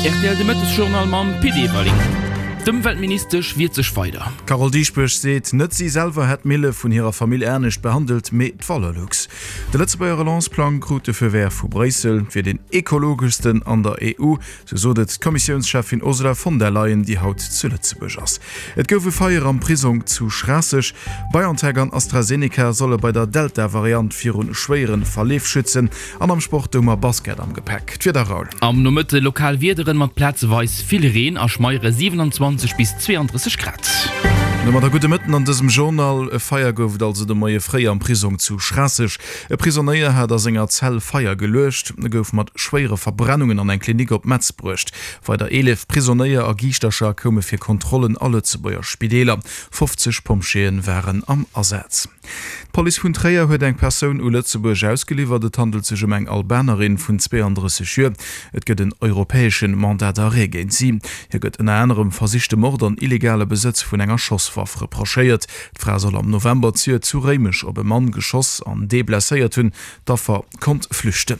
Rtl de Mëttesjournal mam Pit Everling. D'Ëmweltministesch wiert sech weider. D'Carole Dieschbourg seet, net si selwer hätt d'Mille vun hirer Famill anescht behandelt, mee d'Valorlux. De Lëtzebuerger Relance-Plang krut de Feu vert vu Bréissel, wier deen ekologeschsten an der EU, Sou sot et d'Kommissiounscheffin Ursula von der Leyen, déi haut zu Lëtzebuerg ass. Et gouf e Feier am Prisong zu Schraasseg. BioNTech an AstraZeneca solle bei der Delta-Variant viru schwéiere Verleef schützen. An am Sport hu mer Basket am Gepäck. D'Wieder, Raoul. Am Nomëtte lokal Wiederen mat plazeweis vill Reen a schmeiere 27 bis 32 Grad. Domadder gudde Mëtten an dësem Journal. E Feier gouf et also de Moie fréi am Prisong zu Schraasseg. E Prisonéier hat a senger Zell Feier geluecht. E gouf mat schwéiere Verbrennungen an eng Klinik op Metz bruecht. Weider 11 Prisonéier a Giischtercher koume fir Kontrollen a Lëtzebuerger Spideeler. 50 Pompjeeë waren am Asaz. D'Police vun Tréier huet eng Persoun u Lëtzebuerg ausgeliwwert. Et handelt sech ëm eng Albanerin vun 32 Joer. Et gëtt en europäesche Mandat d'arrêt géint si. Hir gëtt ënner anerem versichte Mord an illegale Besëtz vun enger Schosswaff reprochéiert. D'Fra soll am November zejoert zu Réimech op e Mann geschoss an dee blesséiert hunn. D'Affer konnt flüchten.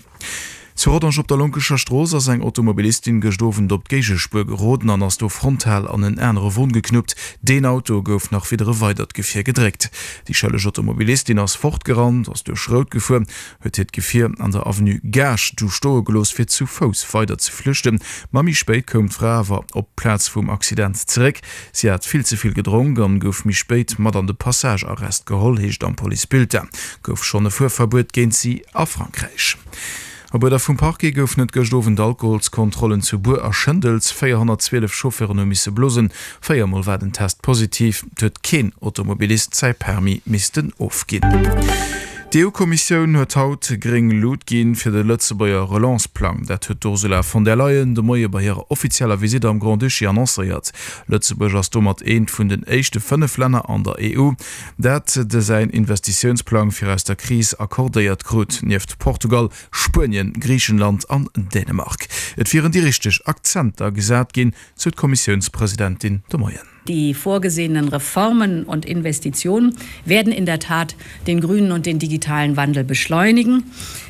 Zu Rodange op der Lonkescher Strooss ass eng Automobilistin gëscht Owend op d'Géigespuer geroden an ass do frontal an en anere Won geknuppt. Deen Auto gouf nach widder e weidert Gefier gedréckt. Déi schëlleg Automobilistin ass fortgerannt, ass duerch Rout gefuer, huet hiert Gefier an der Avenue Gaasch du stoe gelooss, fir zu Fouss weider ze flüchten. Ma méi spéit koum d'Fra awer op d'Plaz vum Accident zeréck. Si hat vill ze vill gedronk an gouf méi spéit mat an de Passagearrest geholl, heescht am Policebulletin. Gouf schonn e Fuerverbuet géint si a Frankräich. Op Uerder vum Parquet goufen et gëscht Owend Alkoholskontrollen zu Buer a Schëndels. 412 Chauffeuren hu misse blosen, 4 Mol war den Test positiv. Et huet keen Automobilist säi Permis missten ofginn. D'EU-Kommissioun huet haut gréng Lut ginn fir de Lëtzebuerger Relance-Plang. Dat huet d'Ursula von der Leyen de Moie bei hirer offizieller Visitt am Grand-Duché annoncéiert. Lëtzebuerg ass domat eent vun den éischte 5 Länner an der EU, dat de säin Investitiounsplang fir aus der Kris accordéiert krut, nieft Portugal, Spuenien, Griichenland an Dänemark. Et wieren déi richteg Akzenter gesat ginn, sou d'Kommissiounspresidentin de Moien. Die vorgesehenen Reformen und Investitionen werden in der Tat den grünen und den digitalen Wandel beschleunigen.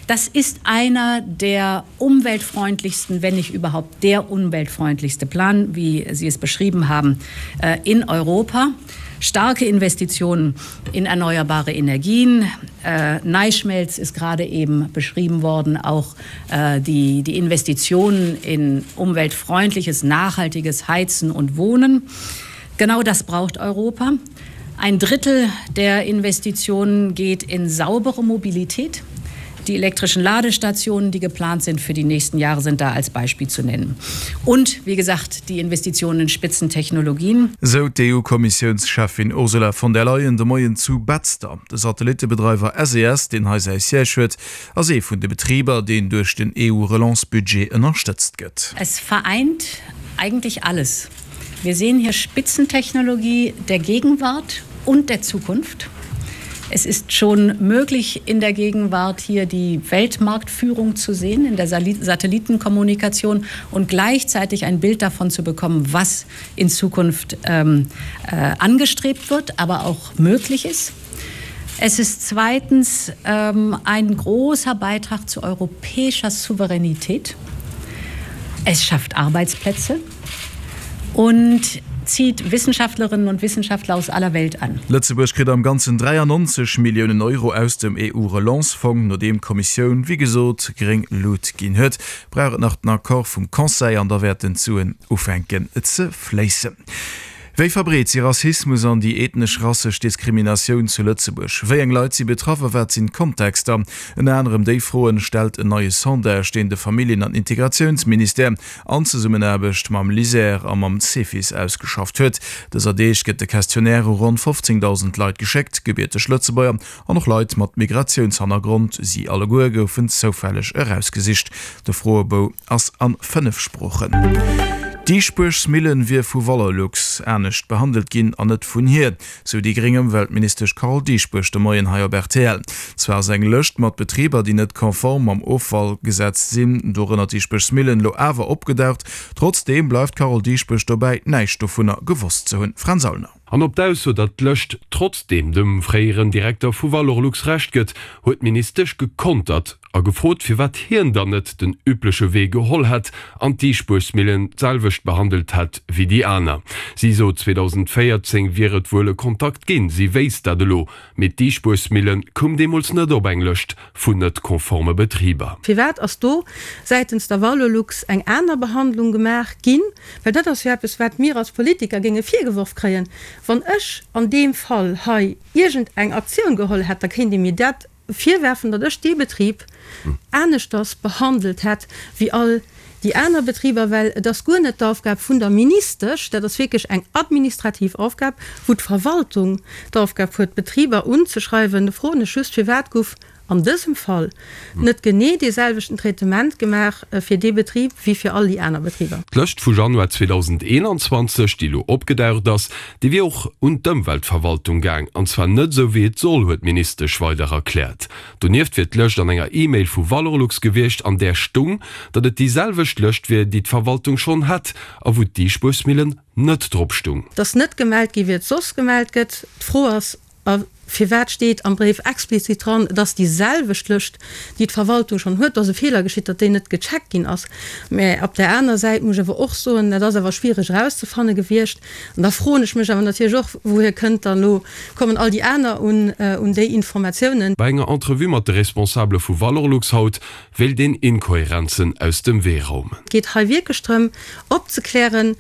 Das ist einer der umweltfreundlichsten, wenn nicht überhaupt der umweltfreundlichste Plan, wie Sie es beschrieben haben, äh, in Europa. Starke Investitionen in erneuerbare Energien. Äh, Neischmelz ist gerade eben beschrieben worden, auch äh, die, die Investitionen in umweltfreundliches, nachhaltiges Heizen und Wohnen. Genau das braucht Europa. Ein Drittel der Investitionen geht in saubere Mobilität. Die elektrischen Ladestationen, die geplant sind für die nächsten Jahre, sind da als Beispiel zu nennen. Und wie gesagt, die Investitionen in Spitzentechnologien. Sou d'EU-Kommissiounscheffin Ursula von der Leyen de Moien zu Betzder. De Satellittebedreiwer SES, deen hei säi Siège huet, ass ee vun de Betriber, deen duerch den EU-Relance-Budget ënnerstëtzt gëtt. Es vereint eigentlich alles. Wir sehen hier Spitzentechnologie der Gegenwart und der Zukunft. Es ist schon möglich, in der Gegenwart hier die Weltmarktführung zu sehen, in der Satellitenkommunikation und gleichzeitig ein Bild davon zu bekommen, was in Zukunft ähm, äh, angestrebt wird, aber auch möglich ist. Es ist zweitens ähm, ein großer Beitrag zu europäischer Souveränität. Es schafft Arbeitsplätze und zieht Wissenschaftlerinnen und Wissenschaftler aus aller Welt an. Lëtzebuerg kritt am Ganzen 93 Milliounen Euro aus dem EU-Relance-Fong. Nodeem d'Kommissioun, wéi gesot, gréng Lut ginn huet, brauch et nach den Accord vum Conseil an da wäerten d'Suen ufänken ze fléissen. Wéi verbreet si Rassismus an déi ethnesch-rassesch Diskriminatioun zu Lëtzebuerg? Wéi eng Leit si betraff a wat sinn d'Kontexter? Ënner anerem déi Froen stellt en neie Sondage, deen de Familljen an Integratiounsministère an Zesummenaarbecht mam LISER a mam Cefis ausgeschafft huet. Dëser Deeg gëtt de Questionnaire u ronn 15.000 Leit geschéckt, gebierteg Lëtzebuerger an och Leit mat Migratiounshannergrond. Si alleguer goufen zoufälleg erausgesicht. De Froebou ass an 5 Sproochen. D'Diisbuergsmillen wier vu Valorlux anescht behandelt ginn an net vun hir, sou déi gréng Ëmweltministesch Carole Dieschbourg de Moien hei op rtl. Zwar ass eng Lëscht mat Betriber, déi net konform mam Offallgesetz sinn, dorënner d'Diisbuergsmillen, elo awer opgedaucht. Trotzdeem bleift d'Carole Dieschbourg dobäi, näischt dovunner gewosst ze hunn. Fränz Aulner. An op d'Ausso, datt d'Lëscht trotzdeem dem fréieren Direkter vu Valorlux Recht gëtt, huet d'Ministesch gekontert. a gefrot, firwat hien dann net den übleche Wee geholl hätt an d'Diisbuergsmillen d'selwecht behandelt hätt wéi déi aner. Si sot, 2014 wier et wuel e Kontakt ginn, si wéisst dat elo, mee d'Diisbuergsmille koum deemools net op eng Lëscht vun net konforme Betriber. Firwat ass do säitens der Valorlux eng aner Behandlung gemaach ginn? Well dat ass jo eppes, wat mir als Politiker géinge virgeworf kréien. Wann ech an deem Fall hei iergend eng Aktioun geholl hätt, da kéint ee mir dat virwerfen, datt ech dee Betrib aneschters behandelt hätt wéi all déi aner Betriber, well et ass guer net d'Aufgab vun der Ministesch, dat ass wierklech eng administrativ Aufgab, wou d'Verwaltung d'Aufgab huet, d'Betriber unzeschreiwen. Da froen ech just, Firwat guff an dësem Fall net genee dee selwechten Traitement gemaach fir dee Betrib wéi fir all déi aner Betriber? D'Lëscht vu Januar 2021, déi elo opgedaucht ass, déi wier och un d'Ëmweltverwaltung gaang, an zwar net esou wéi et soll, huet d'Ministesch weider erkläert. Donieft wier d'Lëscht an enger E-Mail vu Valorlux gewiescht, an där stung, datt et déi selwecht Lëscht wier, déi d'Verwaltung schonn hätt a wou d'Diisbuersmillen net drop stung. Et ass net gemellt gi wéi et soss gemellt gëtt. D'Fro ass, A firwat steet am Bréif explizit dran, et ass déi selwecht Lëscht, déi d'Verwaltung schonn huet? Do ass e Feeler geschitt, datt déi net gecheckt ginn ass. Mä op där aner Säit muss ech awer och soen, dat ass awer schwiereg erauszefanne gewiescht. An da froen ech mech awer natierlech och, Wouhier kënnt dann elo, kommen all déi aner un un déi Informatiounen? Bei enger Entrevue mat de Responsabele vu Valorlux haut wéilt een Inkohärenzen aus dem Wee raumen. Et geet hei wierklech drëm, opzeklären,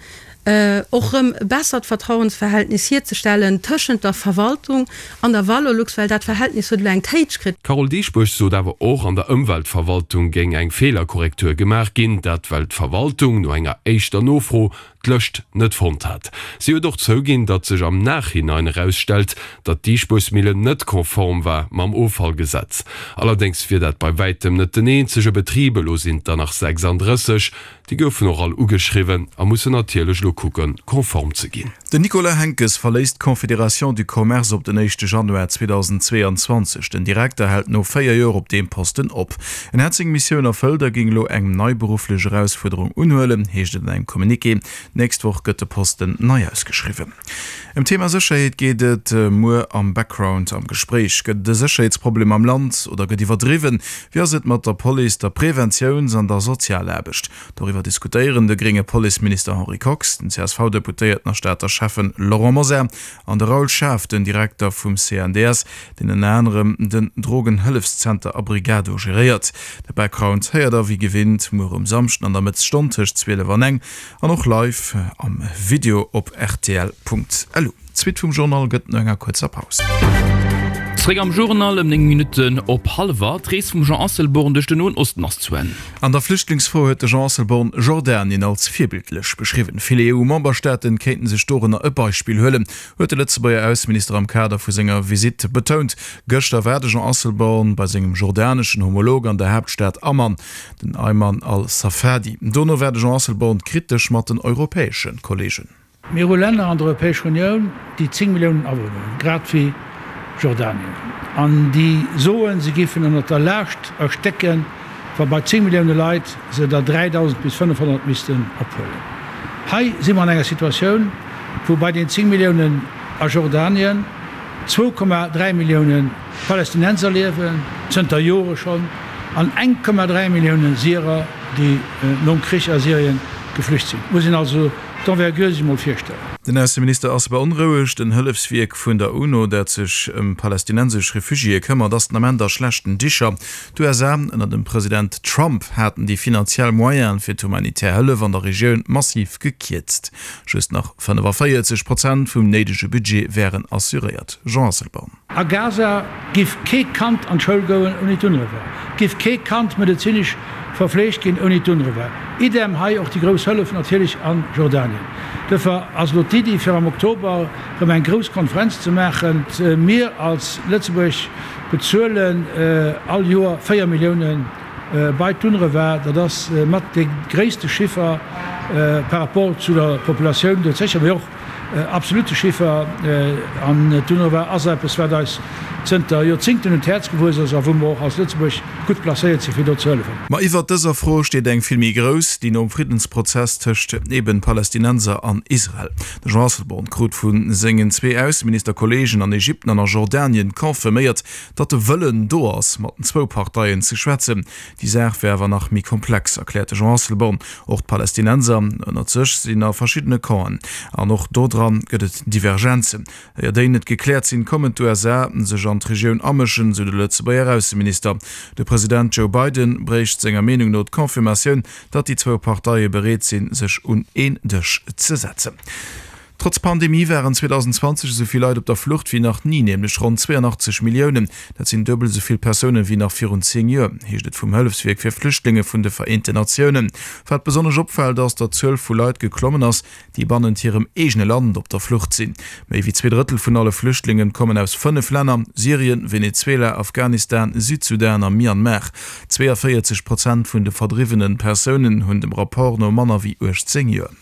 och rëm e bessert Vertrauensverhältnis hierzestellen tëschent der Verwaltung an der Valorlux, well dat Verhältnis huet elo eng Téitsch kritt. D'Carole Dieschbourg sot awer och, an der Ëmweltverwaltung géing eng Feelerkorrektur gemaach ginn, dat well d'Verwaltung no enger éischter Nofro d'Lëscht net fonnt hat. Si huet och zouginn, datt sech am Nachhinein erausstellt, datt d'Diisbuersmillen net konform war mam Offallgesetz. Allerdéngs wier dat bei wäitem net den eenzege Betrib, elo sinn et der nach 36. Déi goufen och all ugeschriwwen a mussen natierlech elo kucken, konform ze ginn. Den Nicolas Henckes verléisst d'Confédération du Commerce op den éischte Januar 2022. Den Direkter hält no 4 Joer op deem Posten op. En hätt seng Missioun erfëllt a géing elo eng nei berufflech Erausfuerderung unhuelen, heescht et an engem Communiqué. D'nächst Woch gëtt de Posten nei ausgeschriwwen. Ëm d'Thema Sécherheet geet et muer am Background am Gespréich. Gëtt et e Sécherheetsproblem am Land oder gëtt iwwerdriwwen? Wéi ass et mat der Police, der Preventiouns an der Sozialaarbecht? Doriwwer diskutéieren de grénge Policeminister Henri Kox, den CSV-Deputéierten a Stater Schäffen Laurent Mosar an de Raoul Schaaf, den Direkter vum CNDS, deen ënner anerem den Drogenhëllefszenter Abrigado geréiert. De Background héiert der wéi gewinnt muer um Samschden an der Mëttesstonn tëscht 12 an eng. An och live am Video op rtl.lu. D'Suite vum Journal gëtt no enger kuerzer Paus. Zréck am Journal ëm 9 Minutten op hallwer. D'Rees vum Jean Asselborn duerch den Noen Osten ass zu Enn. An der Flüchtlingsfro huet de Jean Asselborn Jordanien als virbildlech beschriwwen. Vill EU-Memberstaate kéinten sech dorënner e Beispill huelen, huet de Lëtzebuerger Ausseminister am Kader vu senger Visitt betount. Gëschter war de Jean Asselborn bei sengem jordaneschen Homolog an der Haaptstad Amman. Den Ayman al-Safadi. Dono war de Jean Asselborn kritesch mat den europäesche Kolleegen. Mir hu Länner an der Europäescher Unioun, déi 10 Milliounen Awunner hunn, grad wéi Jordanien, an déi soen, se géifen ënnert der Laascht erstécken, wa bei 10 Millioune Leit se der 3.000 bis 500 missten ophuelen. Hei si mer an enger Situatioun, wou bei den 10 Milliounen a Jordanien 2,3 Millioune Palästinenser liewen, zënter Jore schonn, an 1,3 Millioune Syrer, déi nom Krich a Syrien geflücht sinn. Muss een also d'Envergure sech emol virstellen. Den Ausseminister ass beonrouegt. En Hëllefswierk vun der UNO, dat sech ëm palästinensesch Refugiéë këmmert, ass den Ament a schlechten Dicher. D'USA ënner dem President Trump haten déi finanziell Moyene fir d'humanitär Hëllef an der Regioun massiv gekierzt. Just nach 45 Prozent vum néidege Budget wären assuréiert. Jean Asselborn. A Gaza giff kee Kand an d'Schoul goen ouni d'UNRWA, giff kee Kand medezinesch verfleegt ginn ouni d'UNRWA. Idem hei och déi grouss Hëllef natierlech a Jordanien. Duerfir ass elo d'Iddi fir am Oktober erëm eng grouss Konferenz ze maachen. Mir als Lëtzebuerg bezuelen all Joer 4 Millioune bei d'UNRWA. Dat ass mat dee gréisste Chiffer par rapport zu der Populatioun dout sécher, mee och, Absolute Chiffer. An d'UNRWA ass eppes, wat eis zënter Joerzingten un d'Häerz gewuess ass a wou mer och als Lëtzebuerg gutt placéiert sinn, fir do ze hëllefen. Ma iwwert dëser Fro steet eng vill méi grouss, déi nom Friddensprozess tëscht eben Palästinenser an Israel. De Jean Asselborn krut vu sengen zwee Ausseministerkolleegen an Ägypten an a Jordanien confirméiert, datt de Wëllen do ass, mat den zwou Parteien ze schwätzen. Déi Saach wär awer nach méi komplex, erkläert de Jean Asselborn. Och d'Palästinenser ënnert sech sinn a verschiddene Campen an och do dran gëtt et Divergenzen. Éier déi net gekläert sinn, kommen d'USA sech an d'Regioun amëschen, sou de Lëtzebuerger Ausseminister. De President Joe Biden bréicht senger Meenung no d'Confirmatioun, datt déi zwou Parteie bereet sinn, sech un een Dësch ze setzen. Trotz Pandemie waren 2020 esou vill Leit op der Flucht wéi nach ni, nämlech ronn 82 Milliounen. Dat sinn duebel esou vill Persounen wéi nach virun 10 Joer, heescht et vum Hëllefswierk fir Flüchtlinge vun de Vereenten Natiounen. Wat besonnesch opfält, ass, datt d'Zuel vu Leit geklommen ass, déi bannent hirem eegene Land op der Flucht sinn. Méi wéi 2 Drëttel vun alle Flüchtlingen kommen aus 5 Länner, Syrien, Venezuela, Afghanistan, Südsudan a Myanmar. 42 Prozent vun de verdriwwene Persounen hunn dem Rapport no manner wéi 18 Joer.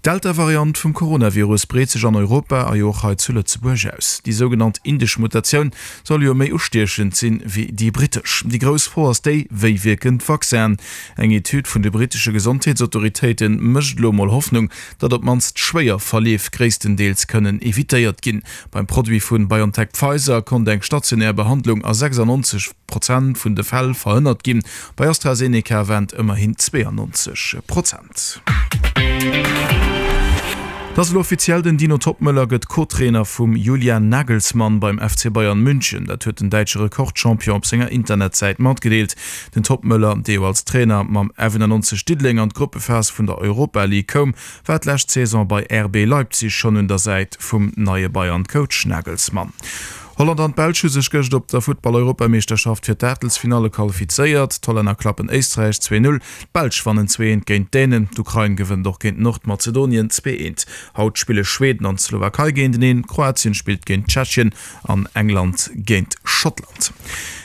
D'Delta-Variant vum Coronavirus breet sech an Europa a jo och hei zu Lëtzebuerg aus. Déi sougenannt indesch Mutatioun soll jo méi ustiechend sinn, wéi déi brittesch. Déi grouss Fro ass déi, Wéi wierken d'Vaccinen? Eng Etüd vun de brittesche Gesondheetsautoritéite mécht elo mol Hoffnung, datt op d'mannst schwéier Verleef gréisstendeels kënnen evitéiert ginn. Beim Produit vu BioNTech-Pfizer konnt eng stationär Behandlung a 96 Prozent vun de Fäll verhënnert ginn, bei AstraZeneca waren et ëmmerhin 92 Prozent. Et ass elo offiziell, den Dino Toppmöller gëtt Co-Trainer vum Julian Nagelsmann beim FC Bayern München. Dat huet den däitsche Rekordchampion op senger Internetsäit matgedeelt. Den Toppmöller, dee jo als Trainer mam F91 Diddeleng an d'Gruppephas vun der Europa League koum, war d'lescht Saison bei RB Leipzig schonn un der Säit vum neie Bayern-Coach Nagelsmann. Holland an d'Belsch hu sech gëscht op der Futtball-Europameeschterschaft fir d'Aachtelsfinalle qualifizéiert. D'Hollänner klappen Éisträich 2, 0, D'Belsch wannen 2, 1 géint d'Dänen, d'Ukrain gewënnt och géint Nordmazedonien 2, 1. Haut spille Schweden an d'Slowakei géinteneen, Kroatien spillt géint Tschechien an England géint Schottland.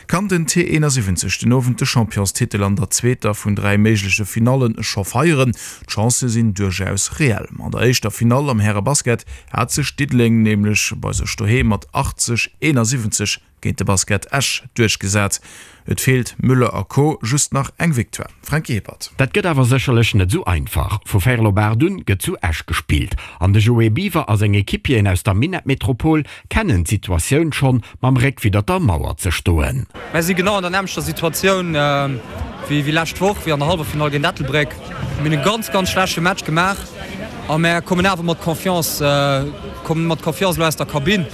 Kann den T71 den Owend de Championstitel an der zweeter vun 3 méigleche Finalle scho feieren? D'Chancë sinn duerchaus reell. An der éischter Finall am Härebasket hat sech Diddeleng nämlech bei sech doheem mat 80, 71 Géint de Basket Esch duerchgesat. Et feelt Müller a Co. Just nach eng Victoire. Franky Hippert. Dat gëtt awer sécherlech net esou einfach. Vu véierel op 8 un gëtt zu Esch gespillt an de Joé Biwer a seng Equipieren aus der Minettmetropol kennen d'Situatioun schonn, mam Réck widder der Mauer ze stoen. Mär si genau an der nämmlechter Situatioun wéi lescht Woch, wéi an der Halleffinall géint Ettelbréck. Mir hunn e ganz, ganz schlechte Match gemaach a mär kommen awer mat Confiance, kommen mat Confiance elo aus der Kabinn.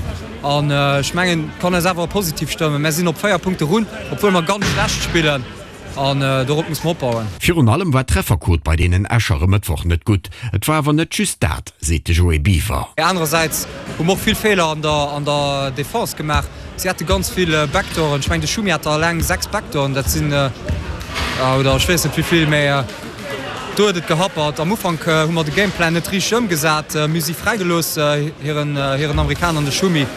An ech mengen, et kann eis awer positiv stëmmen. Mär sinn op 4 Punkte run, obwuel mer ganz schlecht spillen. An dorop muss mer opbauen. Virun allem war d'Trefferquot bei deenen Escher e Mëttwoch net gutt. Et war awer net just dat, seet de Joé Biwer. Anerersäits hu mer och vill Feeler an der an der Defense gemaach. Si hate ganz vill Backdooren. Ech mengen, de Schumi hat der eleng 6 Backdooren. Dat sinn, oder ech weess net wéi vill, mä Do huet et gehappert. Am Ufank hu mer de Gameplan net richteg ëmgesat. Mir hu si fräigelooss, hiren Amerikaner an de Schumi.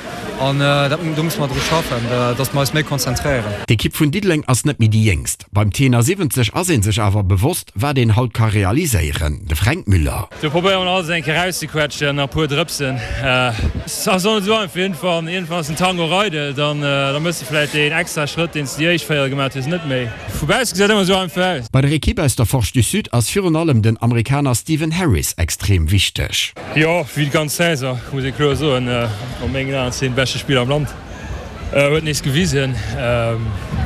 An dat, do musse mer dru schaffen, datt mer eis méi konzentréieren. D'Ekipp vun Diddeleng ass net méi déi jéngst. Beim T71 ass ee sech awer bewosst, wat een haut ka realiséieren. De Fränk Müller. Do probéiere mer alles eng Kéier rauszequetschen a puer Drëpsen. Et ass och net esou einfach. Iergendwann, iergendwann ass den Tango eidel, dann da méchs de vläit deen extra Schrëtt, deen s de déi éischt Véierel gemaach hues, net méi. Vu bausse gesäit ëmmer esou einfach aus. Bei der Ekipp aus der Forge du Sud ass virun allem den Amerikaner Steven Harris extrem wichteg. Jo, wéi d'ganz Saison, muss ee kloer soen. A mengen Aen ass hien de beschte Spiller am Land. Huet nees gewisen.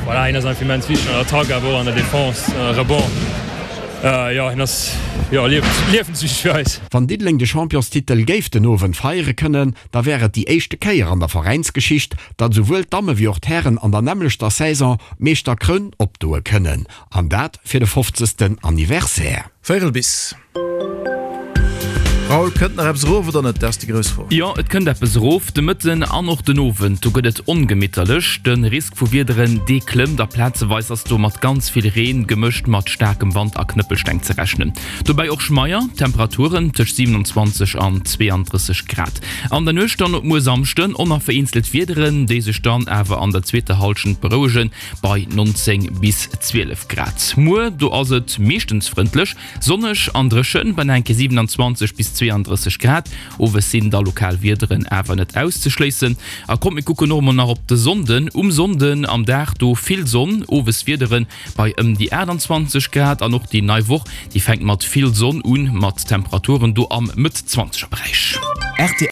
Voilà, hien ass einfach immens wichteg an der Attack, awer och an der Defense, Rebond. Jo, hien ass jo liewenswichteg fir eis. Wann Diddeleng de Championstitel géif den Owend feiere kënnen, da wär et déi éischte Kéier an der Veräinsgeschicht, datt esouwuel d'Damme wéi och d'Hären an der nämmlechter Saison d'Meeschterkroun opdoe kënnen. An dat fir de fofzegsten Anniversaire. Véierel bis. Raoul, kënnt nach eppes erof oder net? Dat ass déi grouss Fro. Jo, et kënnt eppes erof. De Mëtten an och den Owend, do gëtt et ongemitterlech. De Risk vu Wiederen, dee klëmmt a plazeweis ass do mat ganz vill Reen, gemëscht mat staarkem Wand a Knëppelsteng ze rechnen. Dobäi och schmeier Temperaturen tëscht 27 an 32 Grad. An der Nuecht dann op muer Samschden och nach vereenzelt Wiederen, déi sech dann awer an der zweeter Hallschent berouegen, bei 19 bis 12 Grad. Muer, do ass et meeschtens frëndlech, Sonneg an dréchen bei nach eng Kéier 27 bis. 32 Grad. Owes sinn da lokal Wiederen awer net auszeschléissen. A kommt mir kucken och emol nach op de Sonnden. Um Sonnden am Dag do vill Sonn, owes Wiederen bei ëm déi 28 Grad. An och déi nei Woch, déi fänkt mat vill Sonn un, mat Temperaturen do am Mëtt-Zwanzeger Beräich.